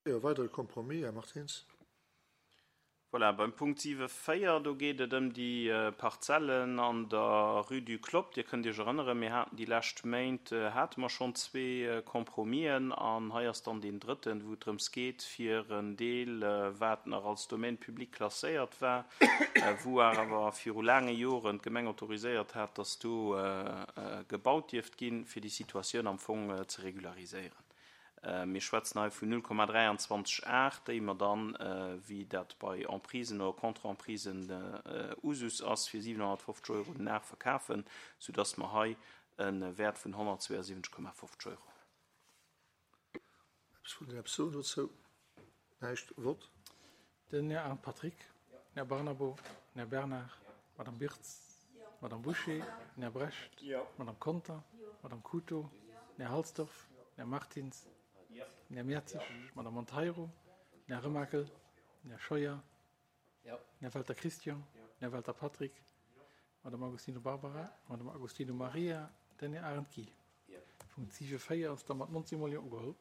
E weidere Compromis, Här Martins. Voilà, beim Punkt 7, 4, do geet et ëm déi Parzellen an der Rue du Clopp. Dir kënnt Iech erënneren, mir haten déi lescht Méint, hate mer schonn zwee Compromisen an hei ass dann deen drëtten, wou et drëms geet, fir en Deel, wat nach als Domaine public klasséiert war, wou awer viru laange Joren d'Gemeng autoriséiert hat, dass do gebaut dierft ginn, fir déi Situatioun am Fong ze regulariséieren. Mir schwätzen hei vun 0,23 Ar, déi mer dann, wéi dat bei Emprisen oder Contre-emprisen Usus ass, fir 750 Euro den Ar verkafen, soudass mer hei e Wäert vun 172,50 Euro hunn. Eppes vun den Här Psoen dozou? Näischt? Vott. Den Här Arndt Patrick, den Här Barnabo, den Här Bernard, d'Madame Birtz, d'Madame Bouché, den Här Brecht, d'Madame Conter, d'Madame Couto, den Här Halsdorf, den Här Martins, den Här Mertzig, d'Madame Monteiro, den Här Remakel, den Här Scheuer, den Här Welter Christian, den Här Welter Patrick, d'Madame Agostino Barbara, d'Madame Agostino Maria, den Här Arendt Guy. Punkt 7, 4 ass da mat 19 mol Jo ugeholl.